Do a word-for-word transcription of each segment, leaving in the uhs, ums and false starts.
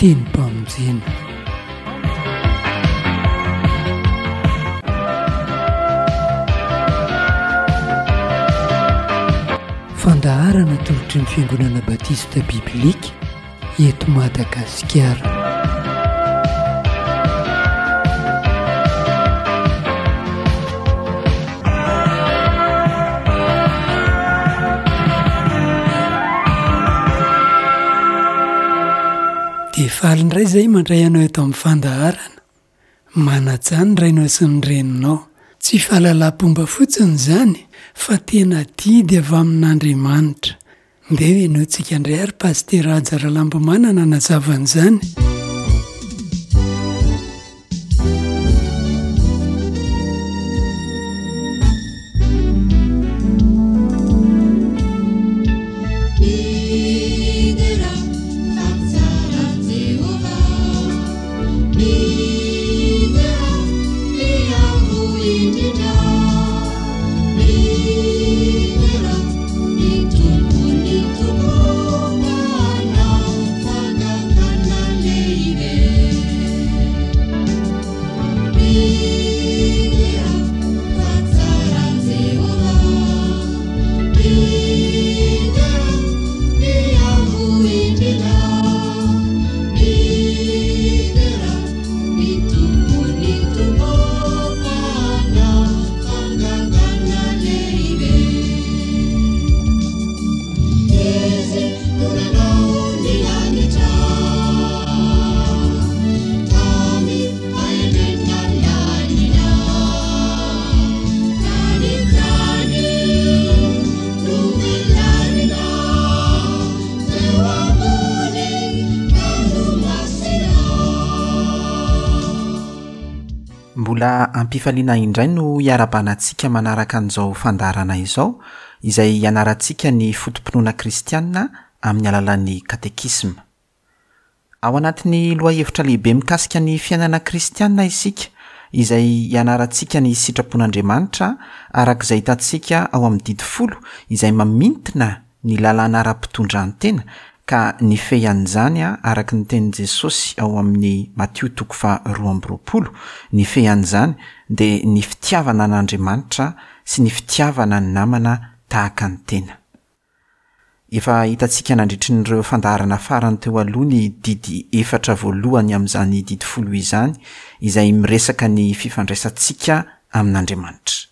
Tenim-pamonjena. Fandaharana atolotry ny Fiangonana Batista Biblika eto Madagasikara. Dia faly indray izay mandray anao eto amin'ny fandaharana. Manajà ny rainao sy ny reninao. Tsy fahalalam-pomba fotsiny izany fa tena adidy avy amin'Andriamanitra. Ndeha henointsika indray ary Pasitera Haja Ralambomanana hanazava an'izany. Mbola ampifaliana indray no hiarahabana antsika manaraka an'izao fandaharana izao, izay hianarantsika ny foto-pinoana kristiana amin'ny alalan'ny katekisma. Ao anatin'ny lohahevitra lehibe mikasika ny fiainana kristiana isika, izay hianarantsika ny sitrapon'Andriamanitra araka izay hitantsika ao amin'ny didy folo, izay mamintina ny lalàna ara-pitondran-tena ka nifehy an'izany araka ny tenin'i Jesosy ao amin'ny Matio toko faharoa amby roapolo, nifehy an'izany dia ny fitiavana an'Andriamanitra sy ny fitiavana ny namana tahaka ny tena. Efa hitantsika nandritry ireo fandaharana farany teo aloha ny didy efatra voalohany amin'izany didy folo izany, izay miresaka ny fifandraisantsika amin'Andriamanitra.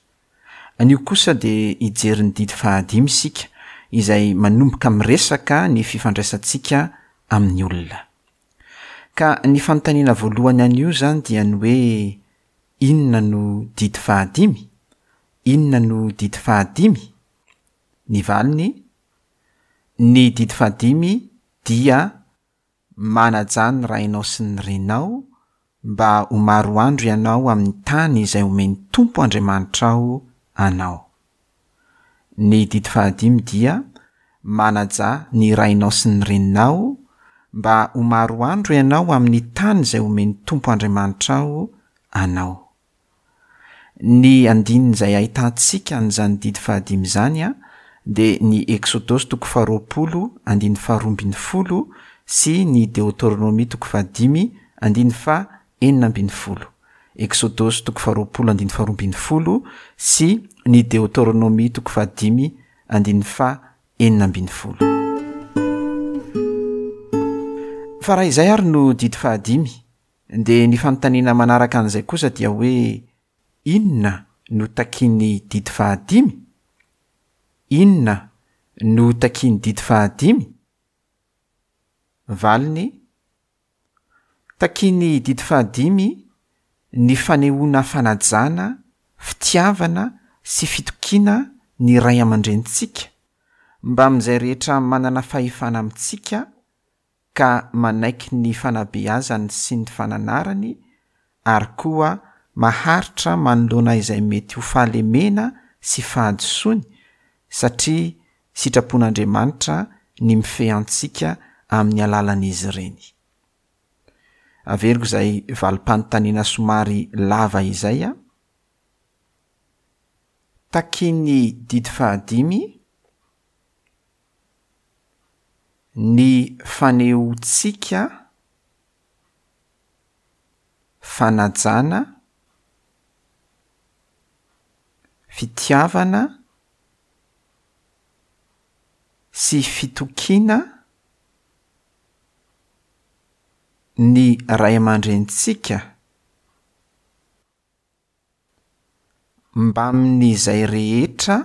Anio kosa dia hijery ny didy fahadimy isika, izay manomboka miresaka ny fifandraisantsika amin'ny olona. Ka ny fanontaniana voalohany anio izany dia ny hoe inona no didy fahadimy? Inona no didy fahadimy? Ny valiny, ny didy fahadimy dia manajà ny rainao sy ny reninao mba ho maro andro ianao amin'ny tany izay omen'ny Tompo Andriamanitrao anao. Ny didy fahadimy dia manajà ny rainao sy ny reninao mba ho maro andro ianao amin'ny tany izay omen'ny Tompo Andriamanitrao anao. Ny andininy izay ahitantsika an'izany didy fahadimy izany a dia ny Eksodosy toko faharoapolo andininy faharoa ambin'ny folo sy ny Deoteronomia toko fahadimy andininy faha enina ambin'ny folo. Eksodosy toko faharoapolo andininy faharoa ambin'ny folo sy ny Deoteronomia toko fahadimy andininy faha enina ambin'ny folo. Fa raha izay ary no didy fahadimy, dia ny fanontaniana manaraka an'izay kosa dia hoe inona no takian'ny didy fahadimy? Inona no takian'ny didy fahadimy? Valiny, takian'ny didy fahadimy ny fanehoana fanajana, fitiavana sy fitokiana ny ray aman-drenintsika, mba amin'izay rehetra manana fahefana amintsika ka manaiky ny fanabeazany sy ny fananarany, ary koa maharitra manoloana izay mety ho fahalemena sy fahadisoany, satria sitrapon'Andriamanitra ny mifehy antsika amin'ny alalan'izy ireny. Averiko izay valim-panontaniana somary lava izay a. Takian'ny didy fahadimy ny fanehoantsika fanajana, fitiavana sy fitokiana ny ray aman-drenintsika mbamin'izay rehetra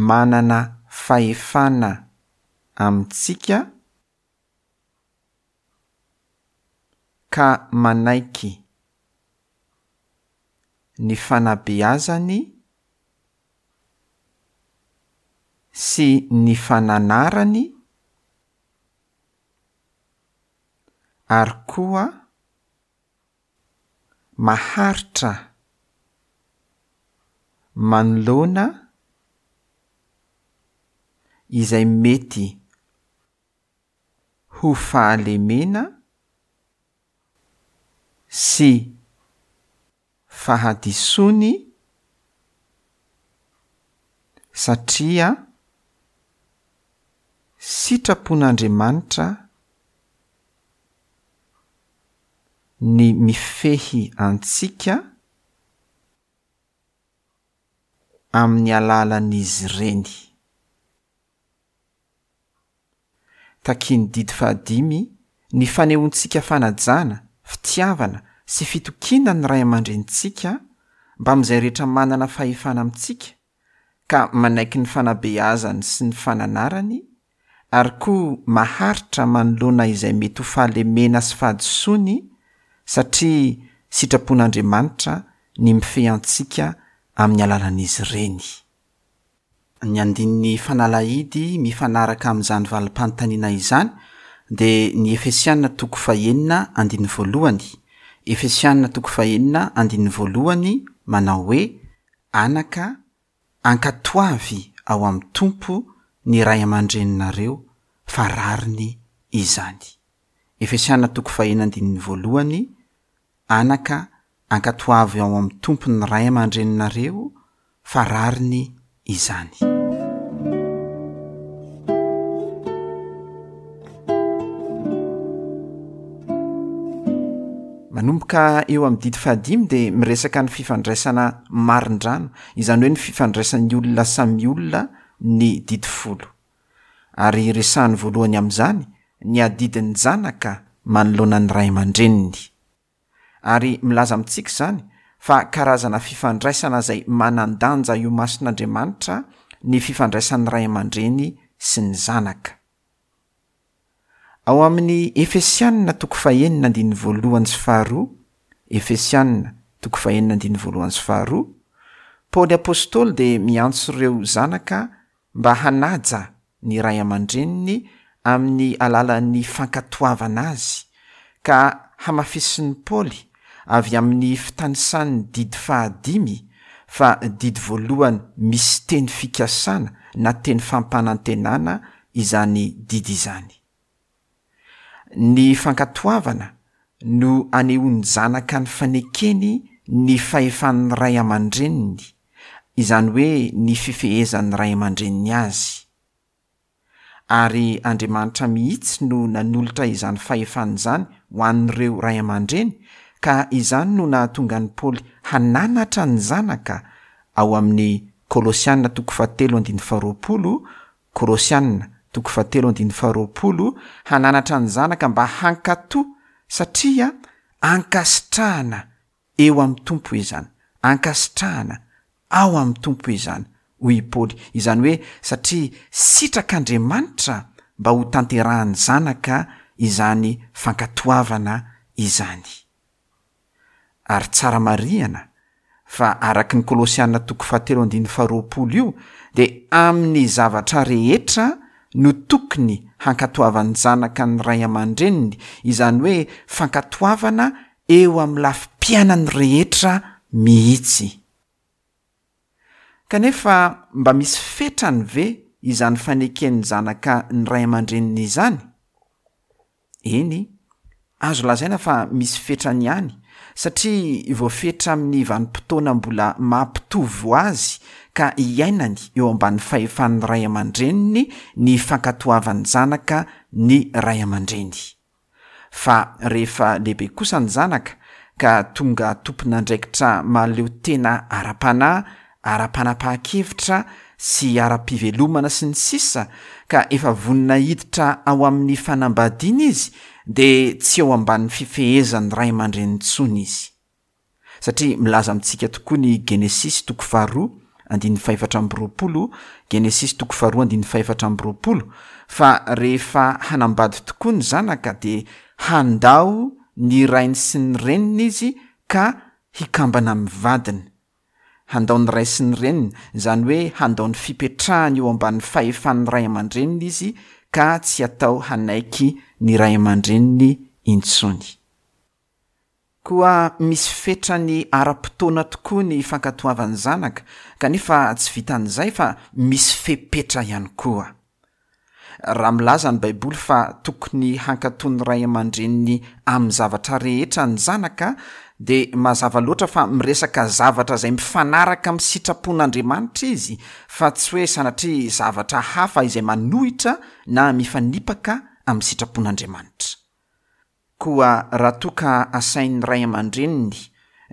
manana fahefana amintsika ka manaiky ny fanabeazany sy ny fananarany ary koa maharitra manoloana izay mety ho fahalemena sy fahadisoany satria sitrapon'Andriamanitra ny mifehy antsika amin'ny alalan'izy ireny. Takian'ny didy fahadimy ny fanehoantsika fanajana, fitiavana sy fitokiana ny ray aman-drenintsika mbamin'izay rehetra manana fahefana amintsika ka manaiky ny fanabeazany sy ny fananarany ary koa maharitra manoloana izay mety ho fahalemena sy fahadisoany satria sitrapon'Andriamanitra ny mifehy antsika amin'ny alalan'izy ireny. Ny andininy fanalahidy mifanaraka amin'izany valim-panontaniana izany dia ny Efesiana toko fahenina andininy voalohany. Efesiana toko fahenina andininy voalohany manao hoe: Anaka, ankatoavy ao amin'ny Tompo ny ray aman-dreninareo fa rariny izany. Efesiana toko fahenina andininy voalohany: Anaka, ankatoavy ao amin'ny Tompo ny ray aman-dreninareo fa rariny izany. Manomboka eo amin'ny didy fahadimy dia miresaka ny fifandraisana marindrano, izany hoe ny fifandraisan'ny olona samy olona ny didy folo. Ary resahany voalohany amin'izany ny adidin'ny zanaka manoloana ny ray aman-dreniny. Ary milaza amintsika izany fa karazana fifandraisana izay manan-danja io mason'Andriamanitra ny fifandraisan'ny ray aman-dreny sy ny zanaka. Ao amin'ny Efesianina toko fahenina andininy voalohany sy faharoa, Efesianina toko fahenina andininy voalohany sy faharoa, Paoly Apostoly dia miantso ireo zanaka mba hanaja ny ray aman-dreniny amin'ny alalan'ny fankatoavana azy, ka hamafisin'ny Paoly avy amin'ny fitanisan'ny didy fahadimy fa didy voalohany misy teny fikasana na teny fampanantenana izany didy izany. Ny fankatoavana no anehoan'ny zanaka ny fanekeny ny fahefan'ny ray aman-dreniny, izany hoe ny fifehezan'ny ray aman-dreniny azy. Ary Andriamanitra mihitsy no nanolotra izany fahefana izany ho an'ireo ray aman-dreny, ka izany no nahatonga an'i Paoly hananatra ny zanaka ao amin'ny Kolosiana toko fahatelo andininy faharoapolo, Kolosiana toko fahatelo andininy faharoapolo, hananatra ny zanaka mba hankatò satria ankasitrahana eo amin'ny Tompo izany, ankasitrahana ao amin'ny Tompo izany, hoy i Paoly. Izany hoe satria sitrak'Andriamanitra mba ho tanterahan'ny zanaka izany fankatoavana izany. Ary tsara marihana fa araky ny Kolosiana toko fahatelo andininy faharoapolo io dia amin'ny zavatra rehetra no tokony hankatoavan'ny zanaka ny ray aman-dreniny, izany hoe fankatoavana eo amin'ny lafim-piainany rehetra mihitsy. Kanefa mba misy fetrany ve izany faneken'ny zanaka ny ray aman-dreniny izany? Eny, azo lazaina fa misy fetrany ihany, satria voafetra amin'ny vanim-potoana mbola mampitovo azy ka iainany eo ambany fahefan'ny ray aman-dreniny ny fankatoavan'ny zanaka ny ray aman-dreny. Fa rehefa lehibe kosa ny zanaka ka tonga tompon'andraikitra mahaleo tena ara-panahy, ara-panapahan-kevitra sy ara-pivelomana sy ny sisa ka efa vonona hiditra ao amin'ny fanambadiana izy dia tsy eo ambanin'ny fifehezan'ny ray aman-dreny intsony izy. Satria milaza amintsika tokoa ny Genesisy toko faharoa andininy fahefatra amby roapolo, Genesisy toko faharoa andininy fahefatra amby roapolo, fa rehefa hanambady tokoa ny zanaka dia handao ny rainy sy ny reniny izy ka hikambana amin'ny vadiny. Handao ny ray sy ny reniny, izany hoe handao ny fipetrahany eo ambanin'ny fahefan'ny ray aman-dreniny izy ka tsy atao hanaiky ny ray aman-dreniny intsony. Koa misy fetrany ara-potoana tokoa ny fankatoavan'ny zanaka, kanefa tsy vitan'izay fa misy fepetra ihany koa. Raha milaza ny Baiboly fa tokony hankatò ny ray aman-dreniny amin'ny zavatra rehetra ny zanaka, dia mazava loatra fa miresaka zavatra izay mifanaraka amin'ny sitrapon'Andriamanitra izy, fa tsy hoe sanatria zavatra hafa izay manohitra na mifanipaka amin'ny sitrapon'Andriamanitra. Koa raha toa ka asain'ny ray aman-dreniny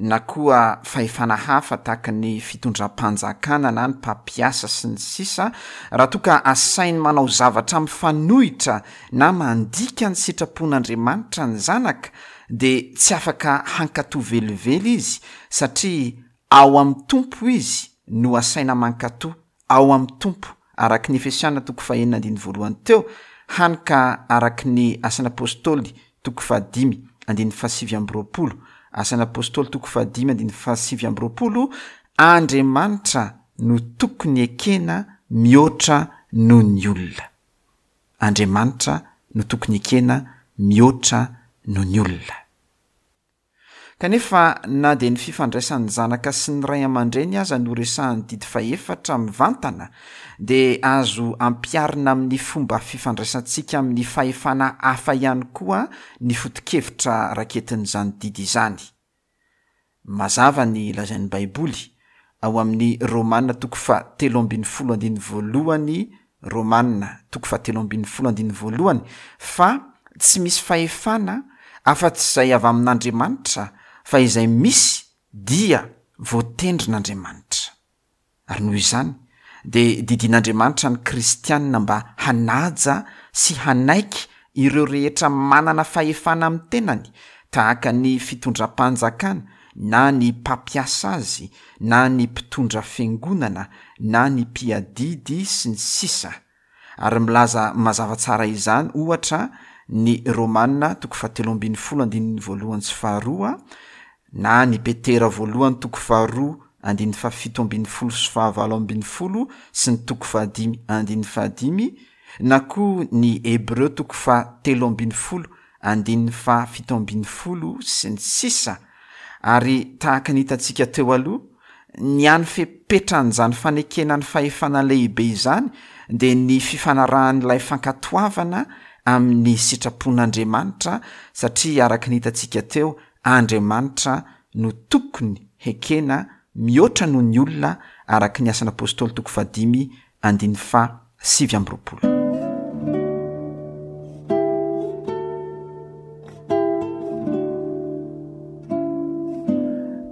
na koa fahefana hafa tahaka ny fitondram-panjakana na ny mpampiasa sy ny sisa, raha toa ka asainy manao zavatra mifanohitra na mandika ny sitrapon'Andriamanitra ny zanaka, dia tsy afaka hankatò velively izy, satria ao amin'ny Tompo izy no asaina mankatò, ao amin'ny Tompo, araka ny Efesiana toko fahenina andininy voalohany teo, hany ka araka ny Asan'ny Apôstôly toko fahadimy andininy fahasivy amby roapolo, Asan'ny Apôstôly toko fahadimy andininy fahasivy amby roapolo, Andriamanitra no tokony ekena mihoatra noho ny olona. Andriamanitra no tokony ekena mihoatra noho ny olona. Kanefa na dia ny fifandraisan'ny zanaka sy ny ray aman-dreny aza no resahan'ny didy fahefatra mivantana, dia azo ampiharina amin'ny fomba fifandraisantsika amin'ny fahefana hafa ihany koa ny foto-kevitra raketin'izany didy izany. Mazava ny lazain'ny Baiboly ao amin'ny Romana toko fahatelo ambin'ny folo andininy voalohany, Romana toko fahatelo ambin'ny folo andininy voalohany, fa tsy misy fahefana afa-tsy izay avy amin'Andriamanitra, fa izay misy dia voatendrin'Andriamanitra. Ary noho izany, dia didian'Andriamanitra ny kristianina mba hanaja sy hanaiky ireo rehetra manana fahefana amin'ny tenany, tahaka ny fitondram-panjakana, na ny mpampiasa azy, na ny mpitondra fiangonana, na ny mpiadidy sy ny sisa. Ary milaza mazava tsara izany ohatra ny Romana toko fahatelo ambin'ny folo andininy voalohany sy faharoa, na ny Petera voalohany toko faharoa andininy fahafito ambin'ny folo sy fahavalo ambin'ny folo sy ny toko fahadimy andininy fahadimy, na koa ny Hebreo toko fahatelo ambin'ny folo andininy fahafito ambin'ny folo sy ny sisa. Ary tahaka ny hitantsika teo aloha, ny hany fepetran'izany fanekena ny fahefana lehibe izany dia ny fifanarahan'ilay fankatoavana amin'ny sitrapon'Andriamanitra, satria araka ny hitantsika teo, Andriamanitra no tokony hekena mihoatra noho ny olona, araka ny Asan'ny Apôstôly toko fahadimy andininy fahasivy amby roapolo.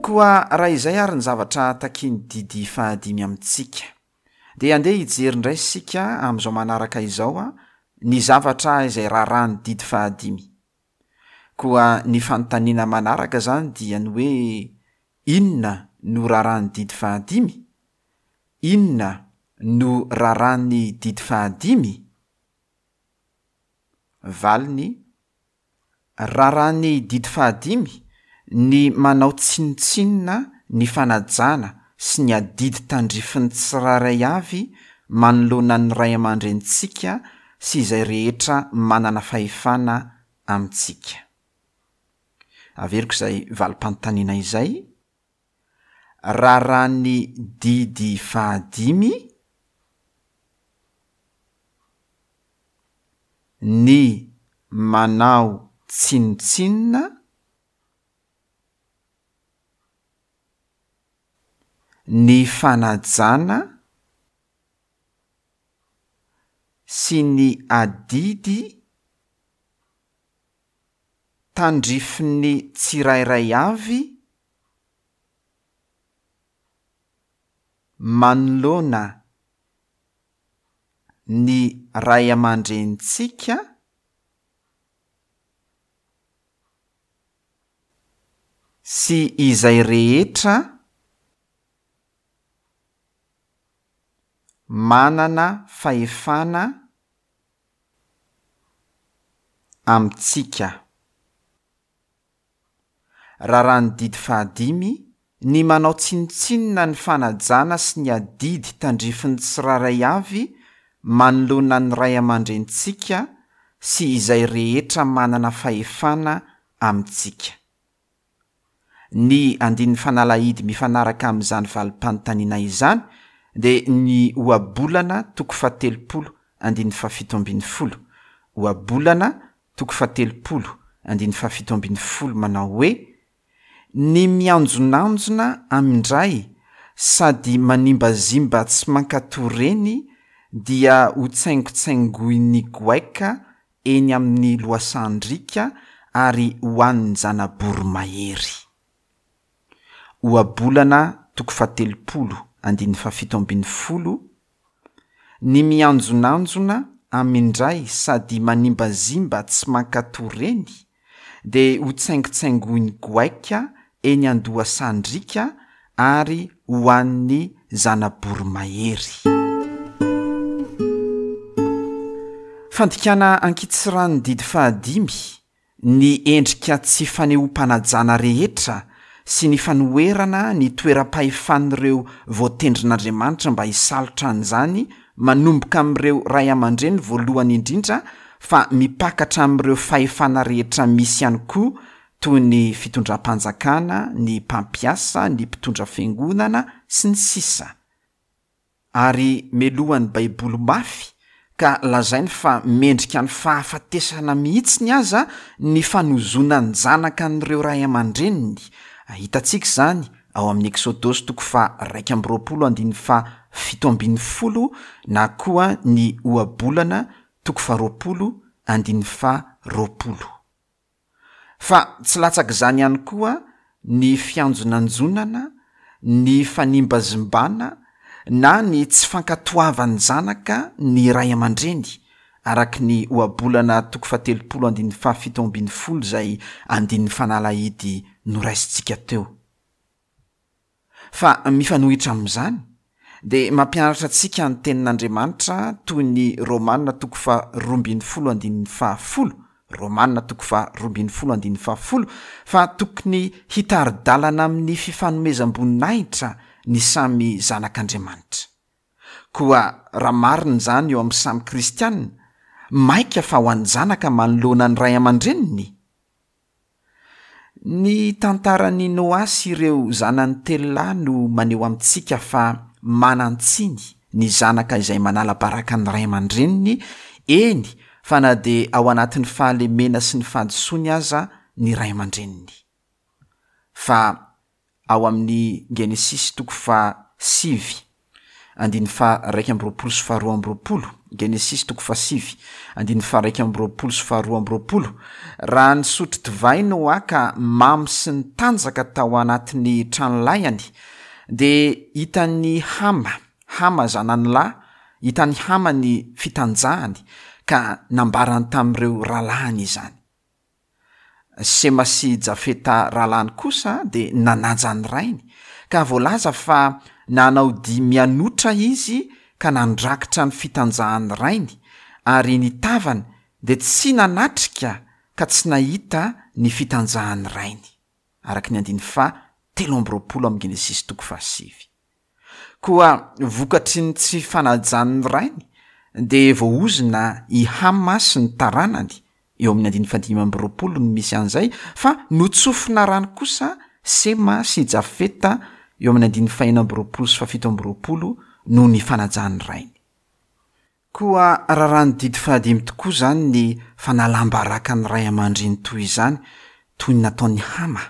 Koa raha izay ary ny zavatra takian'ny didy fahadimy amintsika, dia andeha hijery indray isika amin'izao manaraka izao ny zavatra izay raharahan'ny didy fahadimy. Koa ny fanontaniana manaraka izany dia ny hoe inona no raharahan'ny didy fahadimy? Inona no raharahan'ny didy fahadimy? Valiny: raharahan'ny didy fahadimy ny manao tsinontsinona ny fanajana sy ny adidy tandrifin'ny tsirairay avy manoloana ny ray aman-drenintsika sy izay rehetra manana fahefana amintsika. Averiko izay valim-panontaniana izay. Raharahan'ny didy fahadimy ny manao tsinontsinona ny fanajana sy ny adidy tandrifin'ny tsirairay avy manoloana ny ray aman-drenintsika sy izay rehetra manana fahefana amintsika. Raràn'ny didy fahadimy ny manao tsinontsinona ny fanajana sy ny adidy tandrifin'ny tsirairay avy manoloana ny ray aman-drenintsika sy izay rehetra manana fahefana amintsika. Ny andininy fanalahidy mifanaraka amin'izany valim-panontaniana izany dia ny ohabolana toko fahatelopolo andininy fahafito ambin'ny folo. Ohabolana toko fahatelopolo andininy fahafito ambin'ny folo manao hoe: ny mianjonanjona amin-dray sady manimbazimba tsy mankatò reny dia ho tsaingotsaingoin'ny goaika eny amin'ny lohasahan-driaka ary ho an'ny zana-boromahery. Ohabolana toko fahatelopolo andininy fahafito ambin'ny folo: ny mianjonanjona amin-dray sady manimbazimba tsy mankatò reny dia ho tsaingotsaingoin'ny goaika eny an-dohasahan-driaka ary ho an'ny zana-boromahery. Fandikana ankitsirano didy fahadimy ny endrika tsy fanehoam-panajana rehetra sy ny fanoherana ny toeram-pahefan'ireo voatendrin'Andriamanitra mba hisalotra an'izany manomboka amin'ireo ray aman-dreny voalohany indrindra fa mipakatra amin'ireo fahefana rehetra misy ihany koa toy ny fitondram-panjakana, ny mpampiasa, ny mpitondra fiangonana sy ny sisa. Ary melohan'ny Baiboly mafy ka lazainy fa mendrika ny fahafatesana mihitsy ny aza ny fanozonan'ny zanaka an'ireo ray aman-dreniny. Hitantsika izany ao amin'ny Eksodosy toko faha iraika amby roapolo andininy faha fito ambin'ny folo na koa ny ohabolana toko faha roapolo andininy faha roapolo. Fa tsy latsaka izany ihany koa ny fianjonanjonana, ny fanimbazimbana na ny tsy fankatoavan'ny zanaka ny ray aman-dreny, araka ny ohabolana toko fahatelopolo andininy fahafito ambin'ny folo izay andininy fanalahidy noraisintsika teo. Fa mifanohitra amin'izany dia mampianatra antsika ny tenin'Andriamanitra toy ny Romana toko faharoa ambin'ny folo andininy fahafolo, Romana toko faharoa ambin'ny folo andininy fahafolo, fa tokony hitari-dalana amin'ny fifanomezam-boninahitra ny samy zanak'Andriamanitra. Koa raha marina izany eo amin'ny samy kristianina, maika fa ho an'ny zanaka manoloana ny ray aman-dreniny. Ny tantaran'i Noa sy ireo zanany telo lahy no maneho amintsika fa manan-tsiny ny zanaka izay manala baraka ny ray aman-dreniny, eny fa na dia ao anatin'ny fahalemena sy ny fahadisoany aza ny ray aman-dreniny. Fa ao amin'ny Genesisy toko fahasivy andininy faha-iraika amby roapolo sy faharoa amby roapolo, Genesisy toko fahasivy andininy faha-iraika amby roapolo sy faharoa amby roapolo, raha nisotro divay Noa ka mamo sy nitanjaka tao anatin'ny tranolahiny, dia hitan'ny Hama, Hama zanany lahy, hitan'ny Hama ny fitanjahany ka nambarany tamin'ireo rahalahiny izany. Sema sy Jafeta rahalahiny kosa dia nanaja ny rainy, ka voalaza fa nanao dihy mianotra izy ka nandrakitra ny fitanjahan'ny rainy, ary ny tavany dia tsy nanatrika ka tsy nahita ny fitanjahan'ny rainy, araka ny andininy faha telo amby roapolo amin'ny Genesisy toko fahasivy. Koa vokatry ny tsy fanajan'ny rainy dia voaozona i Hama sy ny taranany, eo amin'ny andininy fahadimy amby roapolo no misy an'izay, fa notsofina rano kosa Sema sy Jafeta eo amin'ny andininy fahenina amby roapolo sy fahafito amby roapolo noho ny fanajan'ny rainy. Koa raràn'ny didy fahadimy tokoa izany ny fanalam-baraka ny ray aman-dreny toy izany, toy ny nataon'i Hama,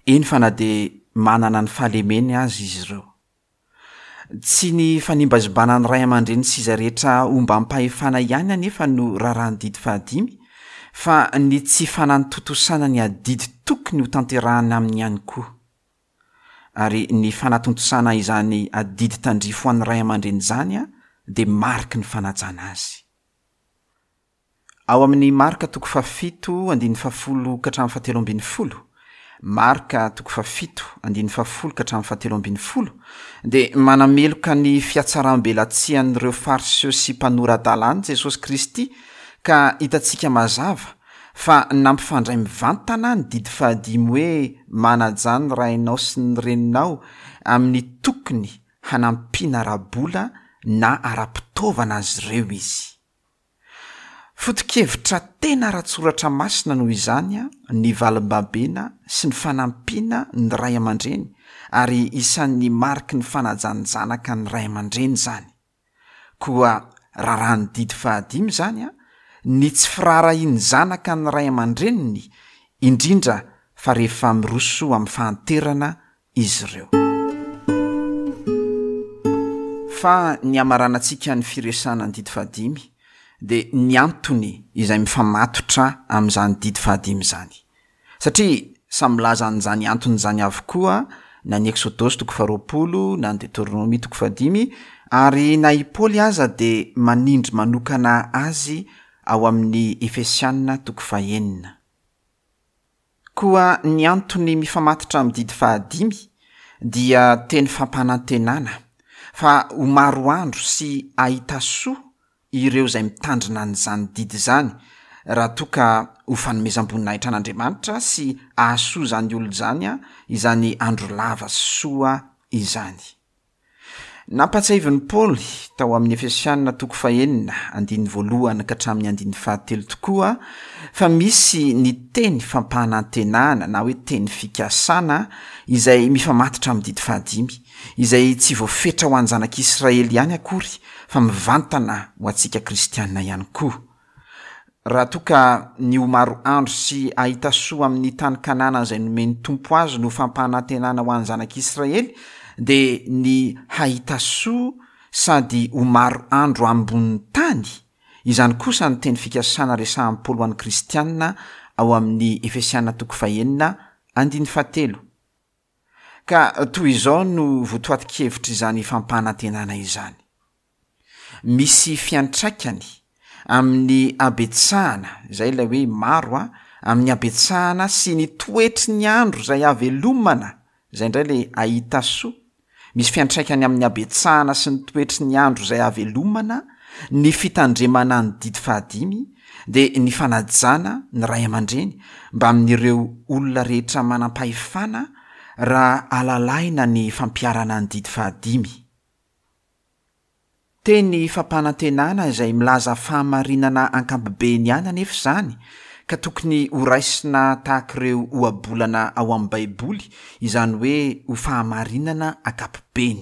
eny fa na dia manana ny fahalemeny aza izy ireo. Tsy ny fanimbazimbana ny ray aman-dreny sy izay rehetra ombam-pahefana ihany anefa no raràn'ny didy fahadimy, fa ny tsy fanatontosana ny adidy tokony ho tanterahana aminy ihany koa. Ary ny fanatontosana izany adidy tandrify ho an'ny ray aman-dreny izany dia mariky ny fanajana azy. Ao amin'ny Marka toko fahafito andininy fahafolo ka hatramin'ny fahatelo ambin'ny folo, Marka toko fahafito andininy fahafolo ka hatramin'ny fahatelo ambin'ny folo, dia manameloka ny fihatsaram-belatsian'ireo Fariseo sy mpanora-dalàna Jesosy Kristy, ka hitantsika mazava fa nampifandray mivantana ny didy fahadimy hoe manajà ny rainao sy ny reninao amin'ny tokony hanampiana ara-bola na ara-pitaovana azy ireo izy. Foto-kevitra tena ara-tsoratra masina noho izany ny valim-babena sy ny fanampiana ny ray aman-dreny, ary isan'ny mariky ny fanajan'ny zanaka ny ray aman-dreny izany. Koa raharahan'ny didy fahadimy izany, ny tsy firaharahian'ny zanaka ny ray aman-dreniny, indrindra fa rehefa miroso amin'ny fahanterana izy ireo. Fa ny hamaranantsika ny firesahana ny didy fahadimy dia ny antony izay mifamatotra amin'izany didy fahadimy izany. Satria samy milaza an'izany antony izany avokoa na ny Eksodosy toko faharoapolo na ny Deoteronomia toko fahadimy, ary na i Paoly aza dia manindry manokana azy ao amin'ny Efesiana toko fahenina. Koa ny antony mifamatotra amin'ny didy fahadimy dia teny fampanantenana fa ho maro andro sy hahita soa ireo izay mitandrina an'izany didy izany, raha toa ka ho fanomezam-boninahitra an'Andriamanitra sy hahasoa izany olona izany izany andro lava sy soa izany. Nampahatsiahivin'i Paoly tao amin'ny Efesiana toko fahenina andininy voalohany ka hatramin'ny andininy fahatelo tokoa fa misy ny teny fampanantenana na hoe teny fikasana izay mifamatotra amin'ny didy fahadimy, izay tsy voafetra ho an'ny zanak'Israely ihany akory fa mivantana ho antsika kristianina ihany koa. Raha toa ka ny ho maro andro sy hahita soa amin'ny tany Kanana izay nomen'ny Tompo azy no fampanantenana ho an'ny zanak'Israely, dia ny hahita soa sady ho maro andro ambonin'ny tany, izany kosa ny teny fikasana resahan'i Paoly ho an'ny kristianina ao amin'ny Efesiana toko fahenina andininy fahatelo. Ka toy izao no votoatin-kevitra izany fampanantenana izany. Misy fiantraikany amin'ny habetsahana, izay ilay hoe maro a, amin'ny habetsahana sy ny toetry ny andro izay havelomana, izay indray ilay hahita soa. Misy fiantraikany amin'ny habetsahana sy ny toetry ny andro izay havelomana, ny fitandremana ny didy fahadimy, dia ny fanajana ny ray aman-dreny mba amin'ireo olona rehetra manam-pahefana raha alalahina ny fampiharana ny didy fahadimy. Teny fampanantenana izay milaza fahamarinana ankapobeny ihany anefa izany, ka tokony ho raisina tahaka ireo ohabolana ao amin'ny Baiboly, izany hoe ho fahamarinana ankapobeny.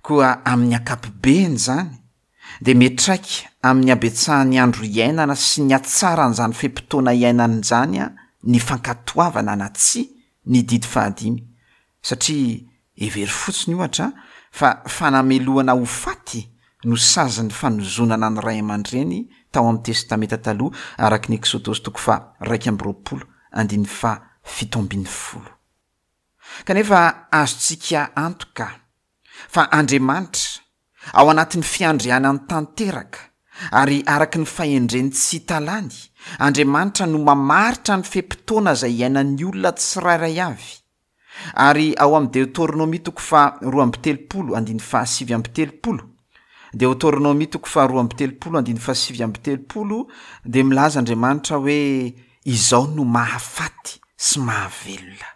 Koa amin'ny ankapobeny izany, dia miantraika amin'ny habetsahan'ny andro iainana sy ny hatsaran'izany fe-potoana iainana izany ny fankatoavana na tsia ny didy fahadimy, satria hevery fotsiny ohatra fa fanamelohana ho faty no sazin'ny fanozonana ny ray aman-dreny tao amin'ny Testamenta taloha araka ny Eksodosy toko faha-iraika amby roapolo andininy fahafito ambin'ny folo. Kanefa azontsika antoka fa Andriamanitra ao anatin'ny fiandrianany tanteraka ary araka ny fahendreny tsy hita lany, Andriamanitra no mamaritra ny fe-potoana izay iainan'ny olona tsirairay avy. Ary ao amin'ny Deoteronomia toko faharoa amby telopolo andininy fahasivy amby telopolo, Deoteronomia toko faharoa amby telopolo andininy fahasivy amby telopolo dia milaza Andriamanitra hoe izao no mahafaty sy mahavelona.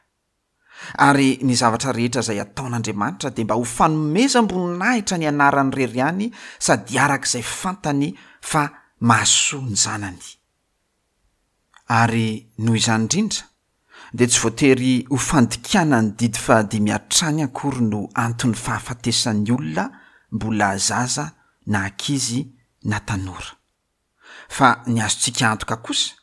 Ary ny zavatra rehetra izay ataon'Andriamanitra dia mba ho fanomezam-boninahitra ny anarany irery ihany sady araka izay fantany fa mahasoa ny zanany. Ary noho izany indrindra dia tsy voatery ho fandikana ny didy fahadimy hatrany akory no anton'ny fahafatesan'ny olona mbola zaza na ankizy na tanora. Fa ny azontsika antoka kosa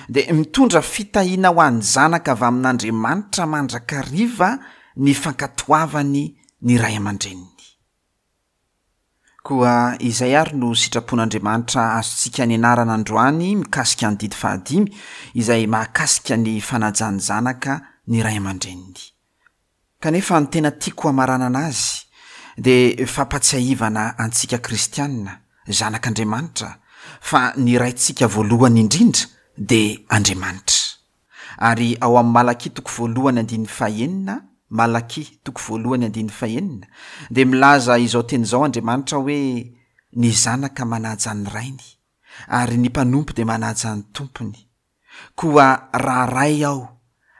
dia mitondra fitahiana ho an'ny zanaka avy amin'Andriamanitra mandrakariva ny fankatoavany ny ray aman-dreniny. Koa izay ary no sitrapon'Andriamanitra azontsika nianarana androany mikasika ny didy fahadimy, izay mahakasika ny fanajan'ny zanaka ny ray aman-dreniny. Kanefa ny tena tiako hamaranana azy dia fampatsiahivana antsika kristianina, zanak'Andriamanitra, fa ny raintsika voalohany indrindra dia Andriamanitra. Ary ao amin'ny Malakia toko voalohany andininy fahenina, Malakia toko voalohany andininy fahenina, dia milaza izao teny izao Andriamanitra hoe ny zanaka manaja ny rainy, ary ny mpanompo dia manaja ny tompony. Koa raha ray aho,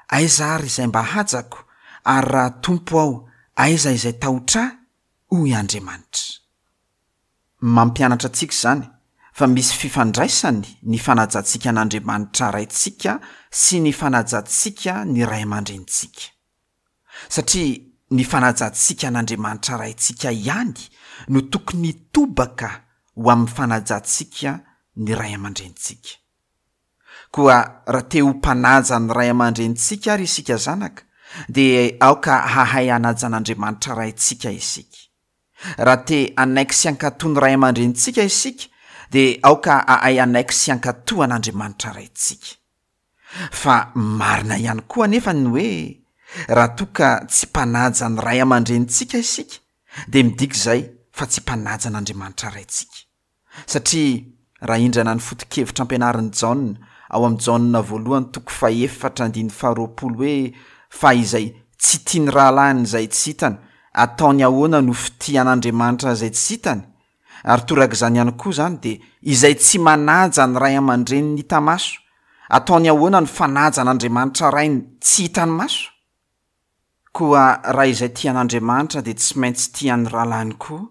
aiza ary izay mba hajako, ary raha tompo aho, aiza izay tahotra ahy? Hoy Andriamanitra. Mampianatra antsika izany fa misy fifandraisany ny fanajantsika an'Andriamanitra Raintsika sy ny fanajantsika ny ray aman-drenintsika. Satria ny fanajantsika an'Andriamanitra Raintsika ihany no tokony hitobaka ho amin'ny fanajantsika ny ray aman-drenintsika. Koa raha te ho mpanaja ny ray aman-drenintsika ary isika zanaka, dia aoka hahay hanaja an'Andriamanitra Raintsika isika. Raha te hanaiky sy hankatò ny ray aman-drenintsika isika, dia aoka hahay hanaiky sy hankatò an'Andriamanitra Raintsika. Fa marina ihany koa anefa ny hoe raha toa ka tsy mpanaja ny ray aman-drenintsika isika, dia midika izay fa tsy mpanaja an'Andriamanitra Raintsika. Satria raha indrana ny foto-kevitra ampianarin'i Jaona ao amin'ny Jaona voalohany toko fahefatra andininy faharoapolo hoe fa izay tsy tia ny rahalahiny izay tsy hitany, ataony ahoana no fitia an'Andriamanitra izay tsy hitany? Ary torak'izany ihany koa izany dia izay tsy manaja ny ray aman-dreniny hita maso, ataony ahoana no fanaja an'Andriamanitra rainy tsy hitany maso? Koa raha izay tia an'Andriamanitra dia tsy maintsy tia ny rahalahiny koa,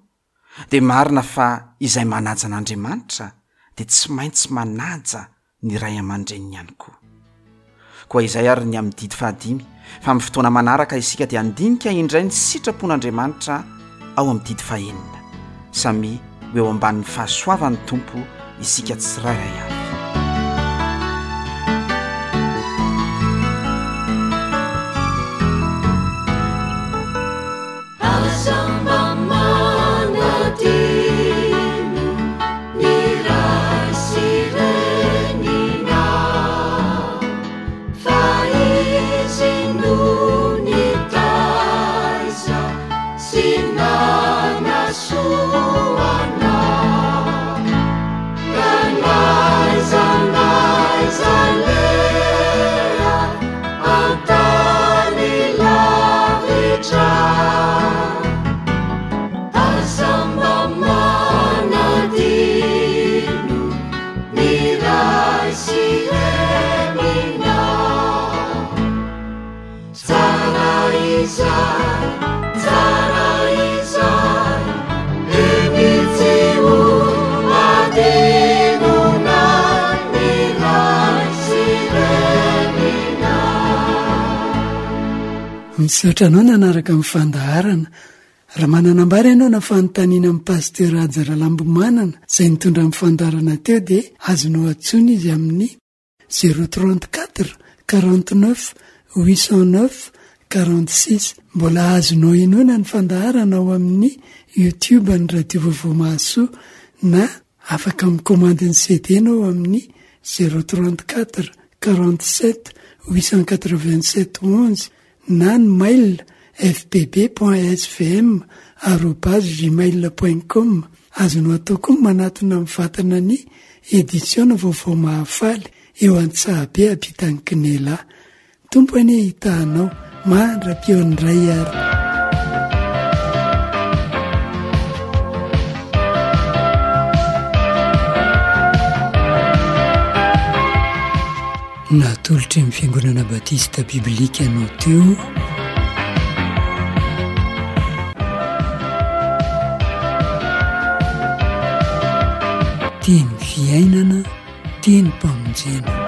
dia marina fa izay manaja an'Andriamanitra dia tsy maintsy manaja ny ray aman-dreniny ihany koa. Koa izay ary ny amin'ny didy fahadimy, fa amin'ny fotoana manaraka isika dia handinika indray ny sitrapon'Andriamanitra ao amin'ny didy fahenina. Samy ho eo ambanin'ny fahasoavan'ny Tompo isika tsirairay avy. Aza mba manadino ny ray sy reninao, fa izy no nitaiza sy nanasoa anao. Ka n'aiza n'aiza aleha an-tany lavitra, aza mba manadino ny ray sy reninao. Tsara izay, tsara izay, eny tsy ho adinonao ny ray sy reninao. Misaotra anao nanaraka ny fandaharana. Raha manana ambara ianao na fanontaniana amin'ny Pasteur Haja Ralambomanana izay nitondra ny fandaharana teo dia azonao antsoina izy amin'ny zéro trente-quatre quarante-neuf huit cent neuf quarante-six. Mbola azonao henoina ny fandaharana ao amin'ny YouTube ny Radio Vaovao Mahasoa na afaka mikomandy ny C D nao amin'ny zéro trente-quatre quarante-sept huit cent quatre-vingt-sept onze na ny mail f p b point s v m arobase gmail point com. Azonao atao koa manatona amin'ny vatana ny édition Vaovao Mahafaly eo Antsahabe ampitan'ny Kinela. Tompo anie hitahanao mandra-pihaon'ny ray ary. Natolotry ny Fiangonana Batista Biblika anao teo Teny fiainana, teny mpamonjena.